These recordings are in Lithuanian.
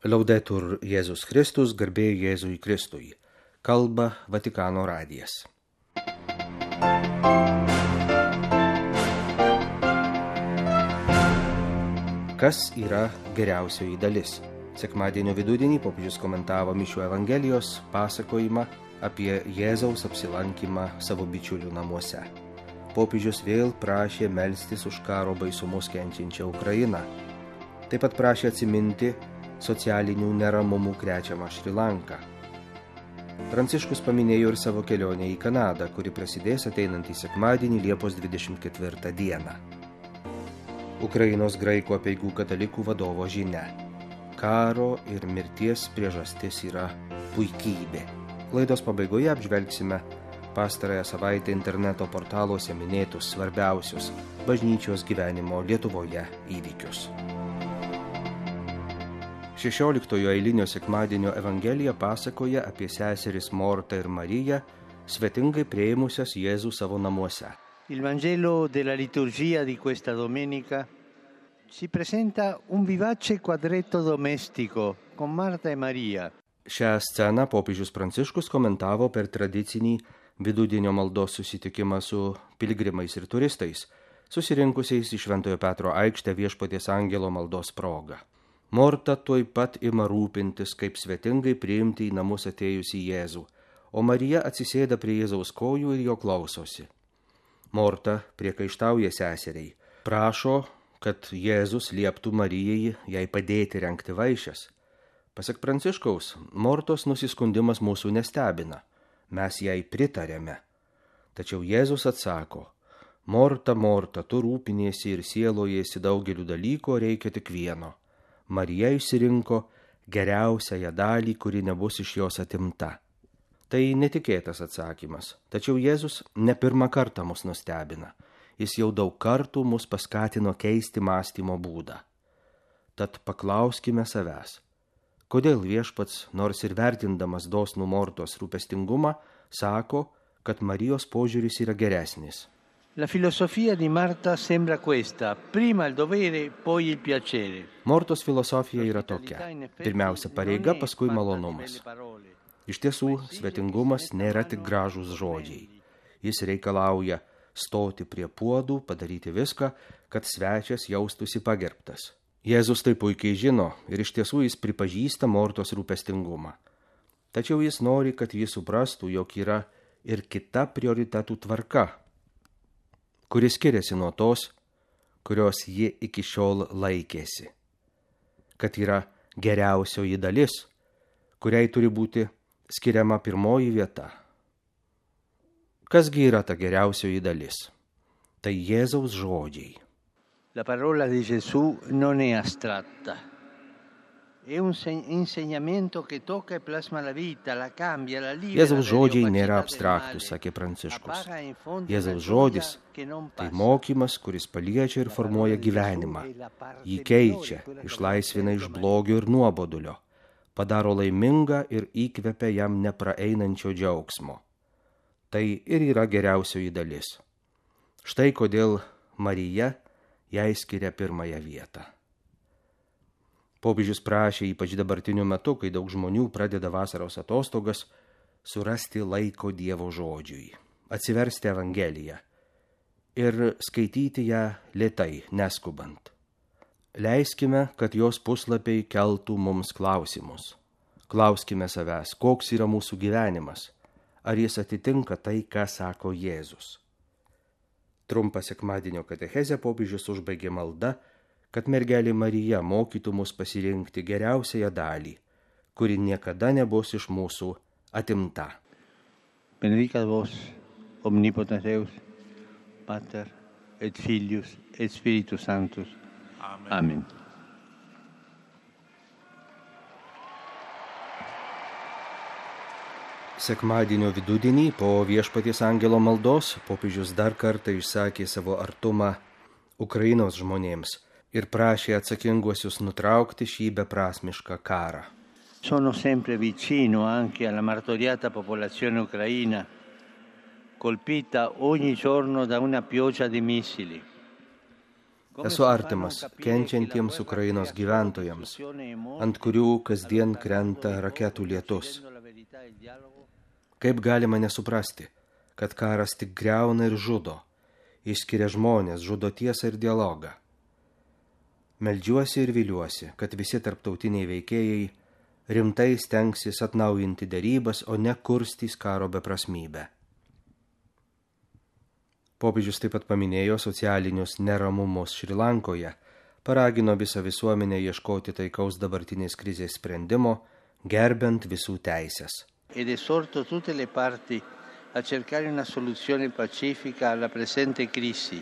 Laudetur Jėzus Kristus, garbė Jėzui Kristui. Kalba Vatikano radijas. Kas yra geriausioji dalis? Sekmadienio vidudienį popiežius komentavo Mišių Evangelijos pasakojimą apie Jėzaus apsilankymą savo bičiulių namuose. Popiežius vėl prašė melstis už karo baisumus kenčiančią Ukrainą. Taip pat prašė atsiminti socialinių neramumų krečiamą Šri Lanką. Pranciškus paminėjo ir savo kelionę į Kanadą, kuri prasidės ateinantį sekmadienį Liepos 24 dieną. Ukrainos graikų apeigų katalikų vadovo žinia. Karo ir mirties priežastis yra puikybė. Laidos pabaigoje apžvelgsime pastarąją savaitę interneto portaluose minėtus svarbiausius bažnyčios gyvenimo Lietuvoje įvykius. 16 eilinio sekmadienio Evangelija pasakoja apie seseris Mortą ir Mariją, svetingai priėmusias Jėzų savo namuose. Il Vangelo della liturgia di questa domenica ci presenta un vivace quadretto domestico con Marta e Maria. Šią sceną popiežius Pranciškus komentavo per tradicinį vidudienio maldos susitikimą su piligrimais ir turistais, susirinkusiais į Šventojo Petro aikštę Viešpaties angelo maldos proga. Morta tuoj pat ima rūpintis, kaip svetingai priimti į namus atėjusį Jėzų, o Marija atsisėda prie Jėzaus kojų ir jo klausosi. Morta priekaištauja seseriai, prašo, kad Jėzus lieptų Marijai jai padėti rengti vaišes. Pasak Pranciškaus, Mortos nusiskundimas mūsų nestebina, mes jai pritarėme. Tačiau Jėzus atsako, Morta, Morta, tu rūpiniesi ir sielojasi daugeliu dalykų, reikia tik vieno. Marija išsirinko geriausiąją dalį, kuri nebus iš jos atimta. Tai netikėtas atsakymas, tačiau Jėzus ne pirmą kartą mus nustebina. Jis jau daug kartų mus paskatino keisti mąstymo būdą. Tad paklauskime savęs, kodėl Viešpats, nors ir vertindamas dosnų Mortos rūpestingumą, sako, kad Marijos požiūris yra geresnis. La filosofia di Marta sembra questa, prima il dovere, poi il piacere. Mortos filosofija yra tokia, pirmiausia pareiga, paskui malonumas. Iš tiesų, svetingumas nėra tik gražūs žodžiai. Jis reikalauja stoti prie puodų, padaryti viską, kad svečias jaustųsi pagerbtas. Jėzus tai puikiai žino ir iš tiesų jis pripažįsta Mortos rūpestingumą. Tačiau jis nori, kad jis suprastų, jog yra ir kita prioritetų tvarka, kuris skiriasi nuo tos, kurios ji iki šiol laikėsi. Kad yra geriausioji dalis, kuriai turi būti skiriama pirmoji vieta. Kasgi yra ta geriausioji dalis? Tai Jėzaus žodžiai. La parola di Gesù non è astratta. È un insegnamento che tocca e plasma la vita, la cambia, la libera. Jėzaus žodžiai nėra abstraktus, sakė Pranciškus. Jėzaus žodis tai mokymas, kuris paliečia ir formuoja gyvenimą. Jį keičia, išlaisvina iš blogio ir nuobodulio, padaro laimingą ir įkvepia jam nepraeinančio džiaugsmo. Tai ir yra geriausioji dalis. Štai kodėl Marija jai skiria pirmąją vietą. Popiežius prašė, ypač dabartiniu metu, kai daug žmonių pradeda vasaros atostogas, surasti laiko Dievo žodžiui, atsiversti Evangeliją ir skaityti ją lėtai, neskubant. Leiskime, kad jos puslapiai keltų mums klausimus. Klauskime savęs, koks yra mūsų gyvenimas, ar jis atitinka tai, ką sako Jėzus. Trumpą sekmadienio katechezę popiežius užbaigė malda, kad mergelė Marija mokytų mus pasirinkti geriausiąją dalį, kuri niekada nebus iš mūsų atimta. Benedicat vos, omnipotens Deus, Pater et Filius et Spiritus Sanctus. Amen. Sekmadienio vidudienį po Viešpaties angelo maldos popiežius dar kartą išsakė savo artumą Ukrainos žmonėms ir prašė atsakinguosius nutraukti šį beprasmišką karą. Sono sempre vicino anche alla martoriata popolazione ucraina, colpita ogni giorno da una pioggia di missili. Esu artimas kenčiantiems Ukrainos gyventojams, ant kurių kasdien krenta raketų lietus. Kaip galima nesuprasti, kad karas tik griauna ir žudo, išskiria žmonės, žudo tiesą ir dialogą. Meldžiuosi ir viliuosi, kad visi tarptautiniai veikėjai rimtai stengsis atnaujinti derybas, o ne kurstys karo beprasmybę. Popiežius taip pat paminėjo socialinius neramumus Šri Lankoje, paragino visą visuomenę ieškoti taikaus dabartinės krizės sprendimo, gerbent visų teisės. Ed esorto tutte le parti a cercare una soluzione pacifica alla presente crisi.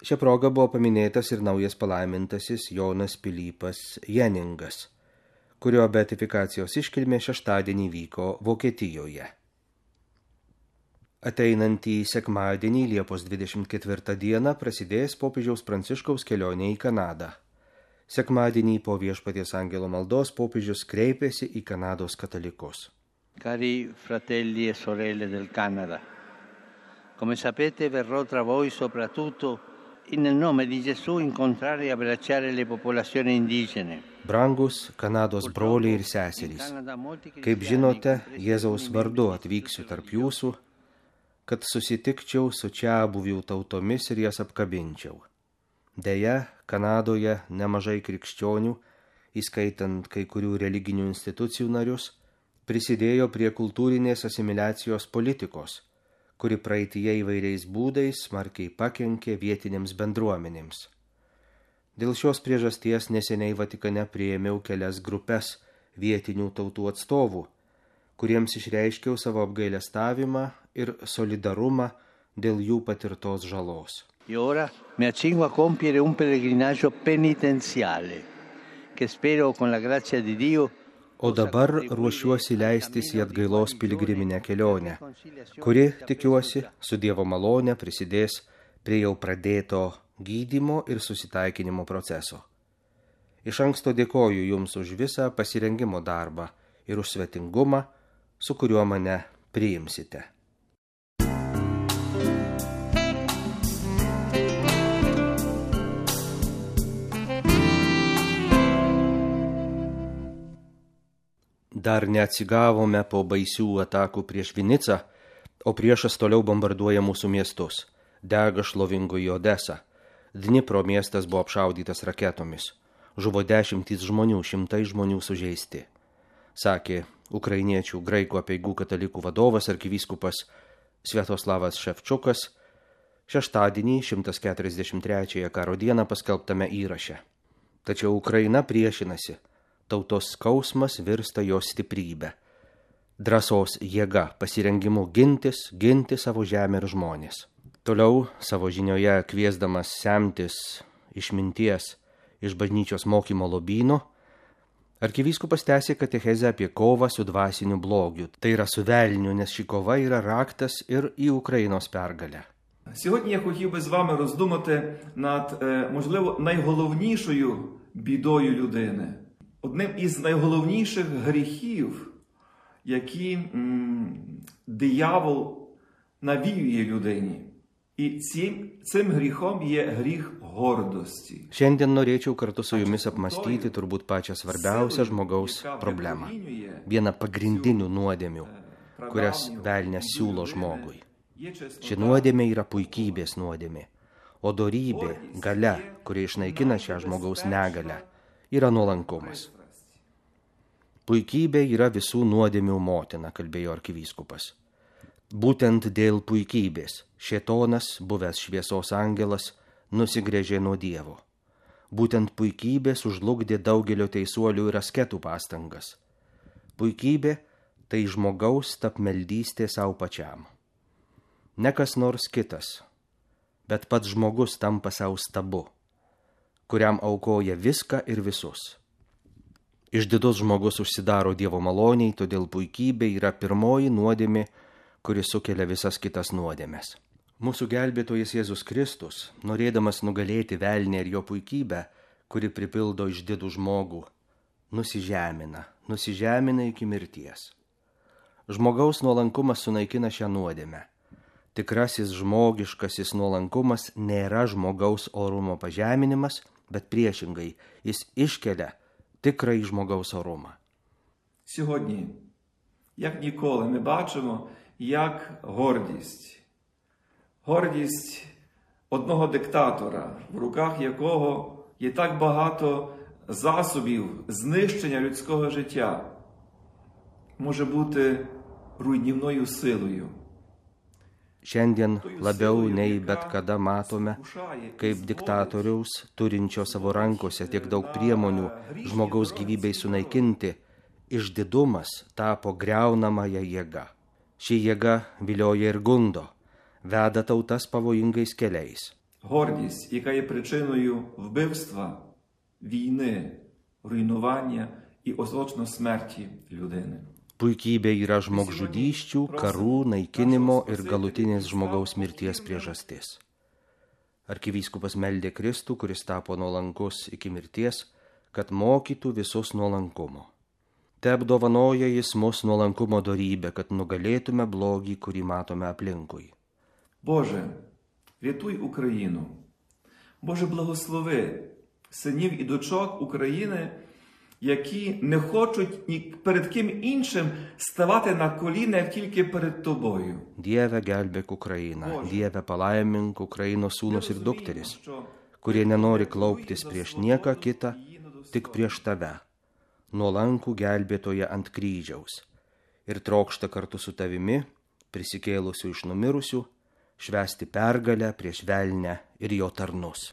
Šia proga buvo paminėtas ir naujas palaimintasis Jonas Pilypas Jeningas, kurio beatifikacijos iškilmė šeštadienį vyko Vokietijoje. Ateinantį sekmadienį, Liepos 24 dieną, prasidės popiežiaus Pranciškaus kelionė į Kanadą. Sekmadienį po Viešpaties angelo maldos popiežius kreipėsi į Kanados katalikus. Cari fratelli e sorelle del Canada, come sapete verrò tra voi soprattutto nel nome di Gesù incontrare e abbracciare le popolazioni indigene. Brangus Kanados broliai ir seserys, kaip žinote, Jėzaus vardu atvyksiu tarp jūsų, kad susitikčiau su čia buvių tautomis ir jas apkabinčiau. Deja, Kanadoje nemažai krikščionių, įskaitant kai kurių religinių institucijų narius, prisidėjo prie kultūrinės asimiliacijos politikos, kuri praeityje įvairiais būdais smarkiai pakenkė vietinėms bendruomenėms. Dėl šios priežasties neseniai Vatikane priėmiau kelias grupes vietinių tautų atstovų, kuriems išreiškiau savo apgailestavimą ir solidarumą dėl jų patirtos žalos. E ora mi accingo a compiere un pellegrinaggio penitenziale, che spero con la grazia di Dio. O dabar ruošiuosi leistis į atgailos piligriminę kelionę, kuri, tikiuosi, su Dievo malone prisidės prie jau pradėto gydymo ir susitaikinimo proceso. Iš anksto dėkoju Jums už visą pasirengimo darbą ir už svetingumą, su kuriuo mane priimsite. Dar neatsigavome po baisių atakų prieš Vinicą, o priešas toliau bombarduoja mūsų miestus. Dega šlovingoji Odesa. Dnipro miestas buvo apšaudytas raketomis. Žuvo 10 žmonių, 100 žmonių sužeisti. Sakė ukrainiečių graikų apeigų katalikų vadovas arkivyskupas Sviatoslavas Ševčukas šeštadienį 143 karo dieną paskelbtame įraše. Tačiau Ukraina priešinasi. Tautos skausmas virsta jos stiprybę. Drąsos jėga, pasirengimu ginti savo žemę ir žmonės. Toliau savo žinioje kviesdamas semtis išminties iš bažnyčios mokymo lobyno, arkivyskupas tęsė katechezę apie kovą su dvasiniu blogiu. Tai yra su velniu, nes ši kova yra raktas ir į Ukrainos pergalę. Сьогодні я хотів би з вами роздумати над, можливо, найголовнішою бідою людини. Одним із найголовніших гріхів, які диявол навіює людині. І цим гріхом є гріх гордості. Šiandien norėčiau kartu su jumis apmastyti turbūt pačią svarbiausią žmogaus problemą. Vieną pagrindinių nuodėmių, kurias velnias siūlo žmogui. Ši nuodėmė yra puikybės nuodėmė, o dorybė, galia, kuri išnaikina šią žmogaus negalę, yra nuolankumas. Puikybė yra visų nuodėmių motina, kalbėjo arkivyskupas. Būtent dėl puikybės šėtonas, buvęs šviesos angelas, nusigręžė nuo Dievo. Būtent puikybė sužlugdė daugelio teisuolių ir asketų pastangas. Puikybė tai žmogaus tapmeldystė savo pačiam. Ne kas nors kitas, bet pats žmogus tampa savo stabu, kuriam aukoja viską ir visus. Išdidus žmogus užsidaro Dievo maloniai, todėl puikybė yra pirmoji nuodėmė, kuri sukelia visas kitas nuodėmes. Mūsų gelbėtojas Jėzus Kristus, norėdamas nugalėti velnį ir jo puikybę, kuri pripildo išdidų žmogų, nusižemina iki mirties. Žmogaus nuolankumas sunaikina šią nuodėmę. Tikrasis žmogiškasis nuolankumas nėra žmogaus orumo pažeminimas, bet priešingai, jis iškelia tikrąjį žmogaus оруму. Сьогодні, як ніколи, ми бачимо, як гордість одного диктатора, в руках якого є так багато засобів знищення людського життя, може бути руйнівною силою. Šiandien labiau nei bet kada matome, kaip diktatoriaus, turinčio savo rankose tiek daug priemonių žmogaus gyvybei sunaikinti, išdidumas tapo griaunamąją jėgą. Ši jėga vilioja ir gundo, veda tautas pavojingais keliais. Гордість, яка є причиною вбивства, війни, руйнування і остаточно смерті людини. Puikybė yra žmogžudysčių, karų, naikinimo ir galutinės žmogaus mirties priežastis. Arkivyskupas meldė Kristų, kuris tapo nuolankus iki mirties, kad mokytų visus nuolankumo. Te apdovanoja jis mus nuolankumo dorybę, kad nugalėtume blogį, kurį matome aplinkui. Боже, рятуй Україну. Боже, благослови синів і дочок України, які не хочуть ні перед ким іншим ставати на коліна, як тільки перед Тобою. Dieve gelbėk Ukrainą, Dieve palaimink Ukrainos sūnus ir dukteris, kurie nenori klauptis prieš nieką kitą, tik prieš Tave, nuolankų gelbėtoją ant kryžiaus, ir trokšta kartu su Tavimi, prisikėlusių iš numirusių, švęsti pergalę prieš velnę ir jo tarnus.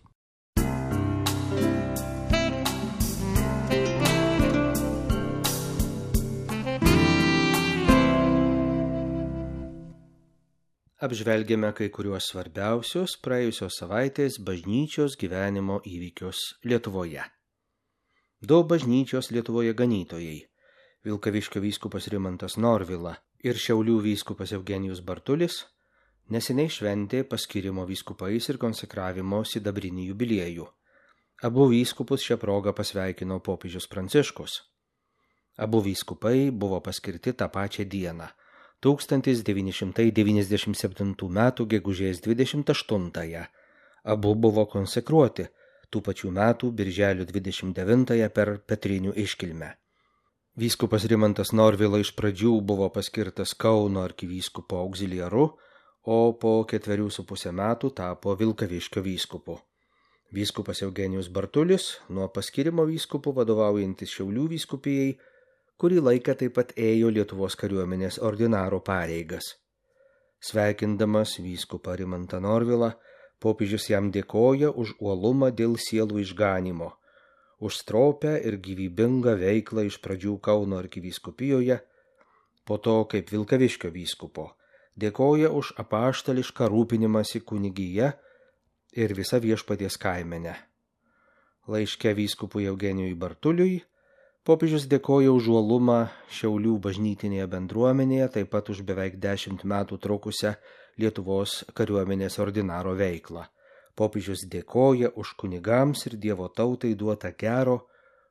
Apžvelgėme kai kuriuos svarbiausius praėjusios savaitės bažnyčios gyvenimo įvykius Lietuvoje. 2 bažnyčios Lietuvoje ganytojai – Vilkaviškio vyskupas Rimantas Norvila ir Šiaulių vyskupas Eugenijus Bartulis – neseniai šventė paskyrimo vyskupais ir konsekravimo sidabrinį jubiliejų. Abu vyskupus šią progą pasveikino popiežius Pranciškus. Abu vyskupai buvo paskirti tą pačią dieną – 1997 m. gegužės 28-ąją. Abu buvo konsekruoti tų pačių metų birželio 29-ąją per Petrinių iškilmę. Vyskupas Rimantas Norvila iš pradžių buvo paskirtas Kauno arkivyskupo auxiliaru, o po 4,5 metų tapo Vilkaviškio vyskupu. Vyskupas Eugenijus Bartulis nuo paskirimo vyskupu vadovaujantis Šiaulių vyskupijai kurį laiką taip pat ėjo Lietuvos kariuomenės ordinaro pareigas. Sveikindamas vyskupą Rimantą Norvilą, popiežius jam dėkoja už uolumą dėl sielų išganymo, už stropią ir gyvybingą veiklą iš pradžių Kauno arkivyskupijoje, po to kaip Vilkaviškio vyskupo, dėkoja už apaštališką rūpinimąsi kunigija ir visą Viešpaties kaimenę. Laiške vyskupui Eugenijui Bartuliui popiežius dėkoja už uolumą Šiaulių bažnytinėje bendruomenėje, taip pat už beveik 10 metų trukusią Lietuvos kariuomenės ordinaro veiklą. Popiežius dėkoja už kunigams ir Dievo tautai duotą gero,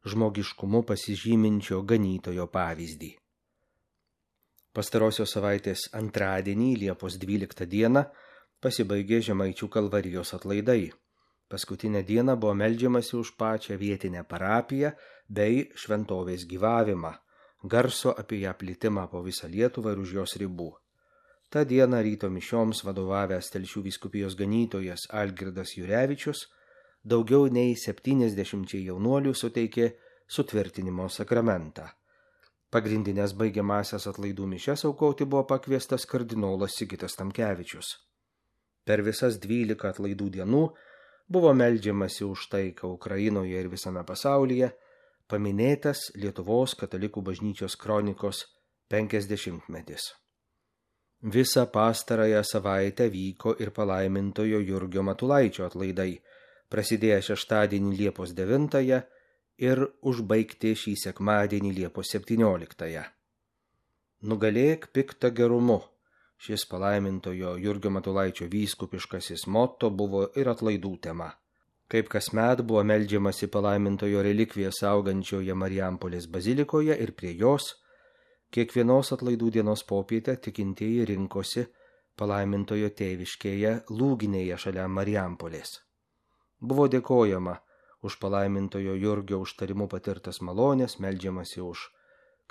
žmogiškumu pasižyminčio ganytojo pavyzdį. Pastarosios savaitės antradienį, Liepos 12 dieną, pasibaigė Žemaičių Kalvarijos atlaidai. Paskutinę dieną buvo meldžiamasi už pačią vietinę parapiją bei šventovės gyvavimą, garso apie ją plitimą po visą Lietuvą ir už jos ribų. Ta diena ryto mišioms vadovavęs Telšių vyskupijos ganytojas Algirdas Jurevičius daugiau nei 70 jaunuolių suteikė sutvirtinimo sakramentą. Pagrindinės baigiamąsias atlaidų mišias aukoti buvo pakviestas kardinolas Sigitas Tamkevičius. Per visas 12 atlaidų dienų buvo meldžiamasi už taiką Ukrainoje ir visame pasaulyje, paminėtas Lietuvos katalikų bažnyčios kronikos 50-metis. Visą pastarąją savaitę vyko ir palaimintojo Jurgio Matulaičio atlaidai, prasidėję šeštadienį Liepos 9 ir užbaigti šį sekmadienį Liepos 17. Nugalėk piktą gerumu. Šis palaimintojo Jurgio Matulaičio vyskupiškasis motto buvo ir atlaidų tema. Kaip kasmet buvo meldžiamasi palaimintojo relikviją saugančioje Marijampolės bazilikoje ir prie jos, kiekvienos atlaidų dienos popietę tikintieji rinkosi palaimintojo tėviškėje Lūginėje šalia Marijampolės. Buvo dėkojama už palaimintojo Jurgio užtarimu patirtas malonės, meldžiamasi už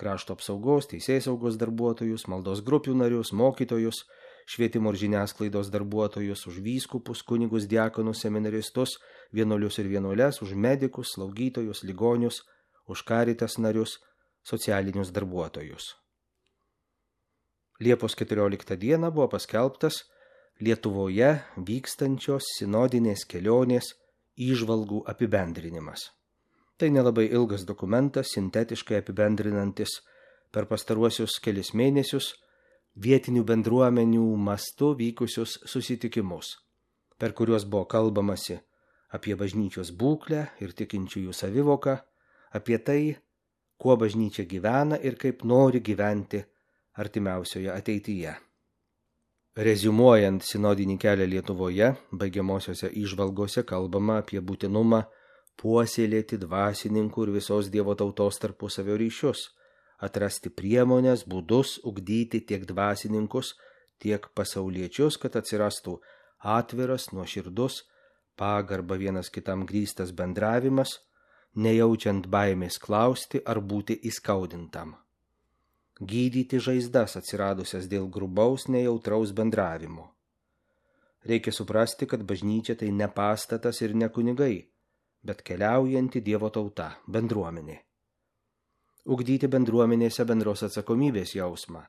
krašto apsaugos, teisėsaugos darbuotojus, maldos grupių narius, mokytojus, švietimo ir žiniasklaidos darbuotojus, už vyskupus, kunigus, diakonus, seminaristus, vienuolius ir vienuoles, už medikus, slaugytojus, ligonius, už Caritas narius, socialinius darbuotojus. Liepos 14 dieną buvo paskelbtas Lietuvoje vykstančios sinodinės kelionės įžvalgų apibendrinimas. Tai nelabai ilgas dokumentas, sintetiškai apibendrinantis per pastaruosius kelis mėnesius vietinių bendruomenių mastu vykusius susitikimus, per kuriuos buvo kalbamasi apie bažnyčios būklę ir tikinčiųjų savivoką, apie tai, kuo bažnyčia gyvena ir kaip nori gyventi artimiausioje ateityje. Reziumuojant sinodinį kelią Lietuvoje, baigiamosiose įžvalgose kalbama apie būtinumą puoselėti dvasininkų ir visos Dievo tautos tarpusavio ryšius, atrasti priemonės, būdus, ugdyti tiek dvasininkus, tiek pasauliečius, kad atsirastų atviras, nuoširdus, pagarba vienas kitam grįstas bendravimas, nejaučiant baimės klausti ar būti įskaudintam. Gydyti žaizdas atsiradusias dėl grubaus, nejautraus bendravimo. Reikia suprasti, kad bažnyčia tai ne pastatas ir ne kunigai, bet keliaujanti Dievo tauta, bendruomenė. Ugdyti bendruomenėse bendros atsakomybės jausmą,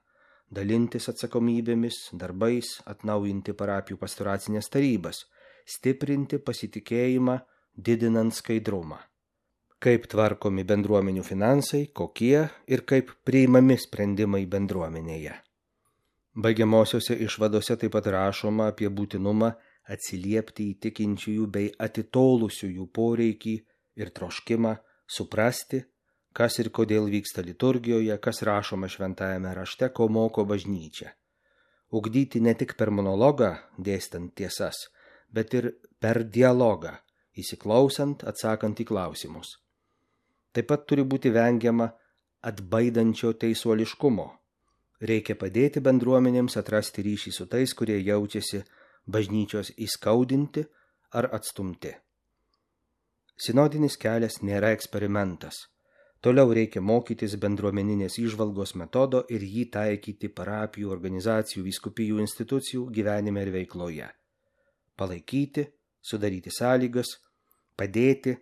dalintis atsakomybėmis, darbais, atnaujinti parapijų pastoracinės tarybas, stiprinti pasitikėjimą, didinant skaidrumą. Kaip tvarkomi bendruomenių finansai, kokie ir kaip priimami sprendimai bendruomenėje. Baigiamosiose išvadose taip pat rašoma apie būtinumą atsiliepti į tikinčiųjų bei atitolusiųjų poreikį ir troškimą suprasti, kas ir kodėl vyksta liturgijoje, kas rašoma šventajame rašte, ko moko bažnyčia. Ugdyti ne tik per monologą, dėstant tiesas, bet ir per dialogą, įsiklausant, atsakant į klausimus. Taip pat turi būti vengiama atbaidančio teisuoliškumo. Reikia padėti bendruomenėms atrasti ryšį su tais, kurie jaučiasi bažnyčios įskaudinti ar atstumti. Sinodinis kelias nėra eksperimentas. Toliau reikia mokytis bendruomeninės įžvalgos metodo ir jį taikyti parapijų, organizacijų, vyskupijų institucijų gyvenime ir veikloje. Palaikyti, sudaryti sąlygas, padėti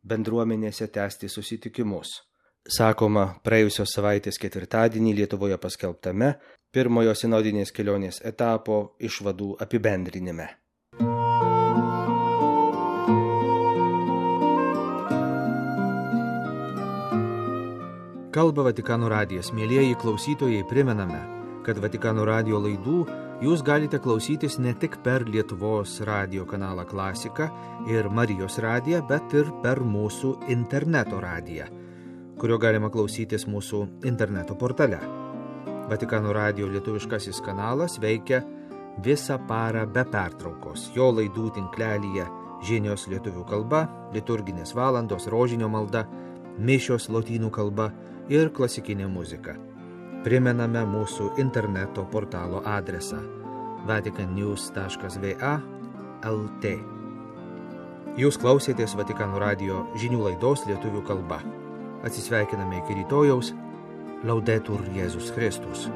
bendruomenėse tęsti susitikimus. Sakoma, praėjusios savaitės ketvirtadienį Lietuvoje paskelbtame pirmojo sinodinės kelionės etapo išvadų apibendrinime. Kalba Vatikano radijas. Mielieji klausytojai, primename, kad Vatikano radijo laidų jūs galite klausytis ne tik per Lietuvos radijo kanalą Klasika ir Marijos radiją, bet ir per mūsų interneto radiją, kurio galima klausytis mūsų interneto portale. Vatikano radijo lietuviškasis kanalas veikia visą parą be pertraukos. Jo laidų tinklelyje žinios lietuvių kalba, liturginės valandos, rožinio malda, mišios lotynų kalba ir klasikinė muzika. Primename mūsų interneto portalo adresą vaticannews.va/lt. Jūs klausėtės Vatikano radijo žinių laidos lietuvių kalba. Atsisveikiname iki rytojaus. Laudetur Jėzus Kristus.